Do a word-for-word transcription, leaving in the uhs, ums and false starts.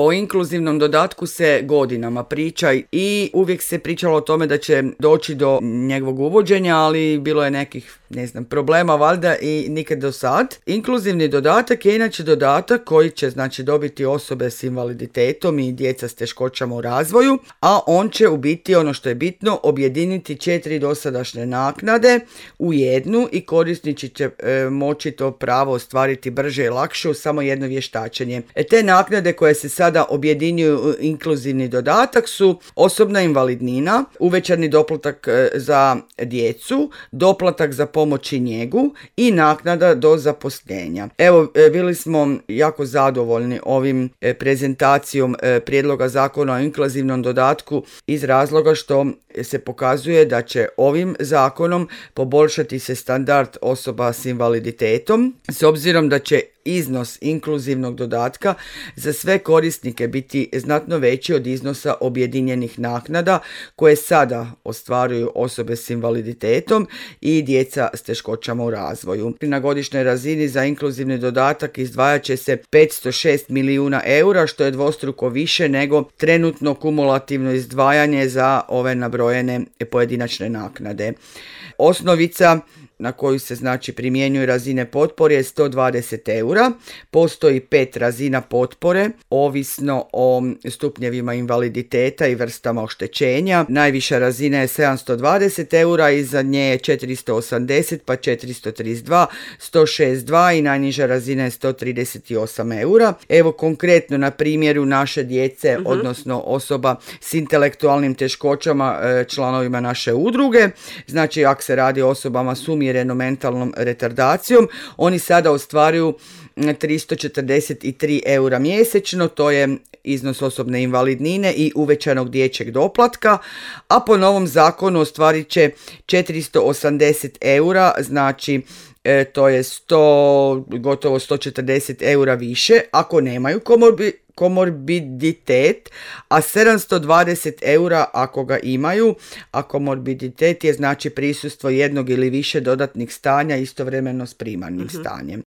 O inkluzivnom dodatku se godinama priča i uvijek se pričalo o tome da će doći do njegovog uvođenja, ali bilo je nekih, ne znam, problema valjda i nikad do sad. Inkluzivni dodatak je inače dodatak koji će znači dobiti osobe s invaliditetom i djeca s teškoćama u razvoju, a on će u biti, ono što je bitno, objediniti četiri dosadašnje naknade u jednu i korisnici će e, moći to pravo ostvariti brže i lakše u samo jedno vještačenje. E, te naknade koje se sad Sada objedinjuju inkluzivni dodatak su osobna invalidnina, uvećani doplatak za djecu, doplatak za pomoć i njegu i naknada do zaposlenja. Evo, bili smo jako zadovoljni ovim prezentacijom prijedloga zakona o inkluzivnom dodatku iz razloga što se pokazuje da će ovim zakonom poboljšati se standard osoba s invaliditetom, s obzirom da će iznos inkluzivnog dodatka za sve korisnike biti znatno veći od iznosa objedinjenih naknada koje sada ostvaruju osobe s invaliditetom i djeca s teškoćama u razvoju. Na godišnjoj razini za inkluzivni dodatak izdvajat će se petsto šest milijuna eura, što je dvostruko više nego trenutno kumulativno izdvajanje za ove nabrojene pojedinačne naknade. Osnovica na koju se znači primjenjuju razine potpore je sto dvadeset eura. Postoji pet razina potpore, ovisno o stupnjevima invaliditeta i vrstama oštećenja. Najviša razina je sedamsto dvadeset eura, iza nje je četiristo osamdeset, pa četiristo trideset dva, sto šezdeset dva i najniža razina je sto trideset osam eura. Evo konkretno na primjeru naše djece, uh-huh. odnosno osoba s intelektualnim teškoćama, članovima naše udruge. Znači, ako se radi o osobama s umjerenom mentalnom retardacijom, oni sada ostvaruju tristo četrdeset tri eura mjesečno, to je iznos osobne invalidnine i uvećanog dječjeg doplatka, a po novom zakonu ostvarit će četiristo osamdeset eura, znači e, to je sto, gotovo sto četrdeset eura više ako nemaju komorbi, komorbiditet, a sedamsto dvadeset eura ako ga imaju, a komorbiditet je znači prisustvo jednog ili više dodatnih stanja istovremeno s primarnim uh-huh. stanjem.